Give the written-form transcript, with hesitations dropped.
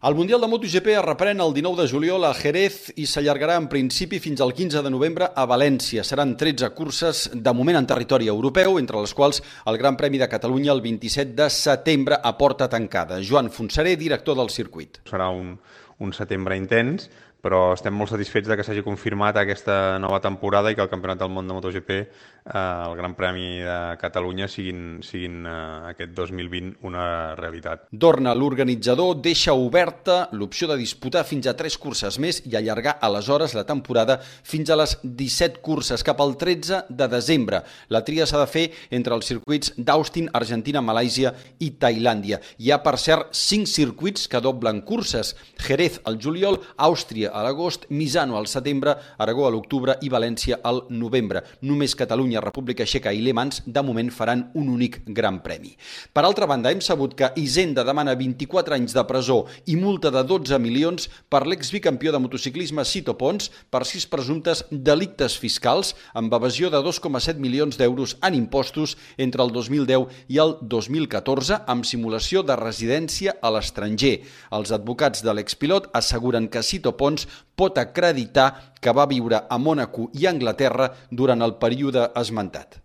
El Mundial de MotoGP es reprèn el 19 de juliol a Jerez i s'allargarà en principi fins al 15 de novembre a València. Seran 13 curses de moment en territori europeu, entre les quals el Gran Premi de Catalunya el 27 de setembre a porta tancada. Joan Fonseré, director del circuit. Serà un setembre intens, però estem molt satisfets de que s'hagi confirmat aquesta nova temporada i que el Campionat del Món de MotoGP, el Gran Premi de Catalunya, siguin aquest 2020 una realitat. Dorna, l'organitzador, deixa oberta l'opció de disputar fins a 3 curses més i allargar aleshores la temporada fins a les 17 curses, cap al 13 de desembre. La tria s'ha de fer entre els circuits d'Austin, Argentina, Malàisia i Tailàndia. Hi ha, per cert, 5 circuits que doblen curses: Jerez al juliol, Àustria a l'agost, Misano al setembre, Aragó a l'octubre i València al novembre. Només Catalunya, República Txeca i Le Mans de moment faran un únic gran premi. Per altra banda, hem sabut que Hisenda demana 24 anys de presó i multa de 12 milions per l'exbicampió de motociclisme Sito Pons per 6 presumptes delictes fiscals amb evasió de 2,7 milions d'euros en impostos entre el 2010 i el 2014 amb simulació de residència a l'estranger. Els advocats de l'expilot asseguren que Sito Pons pot acreditar que va viure a Mònaco i Anglaterra durant el període esmentat.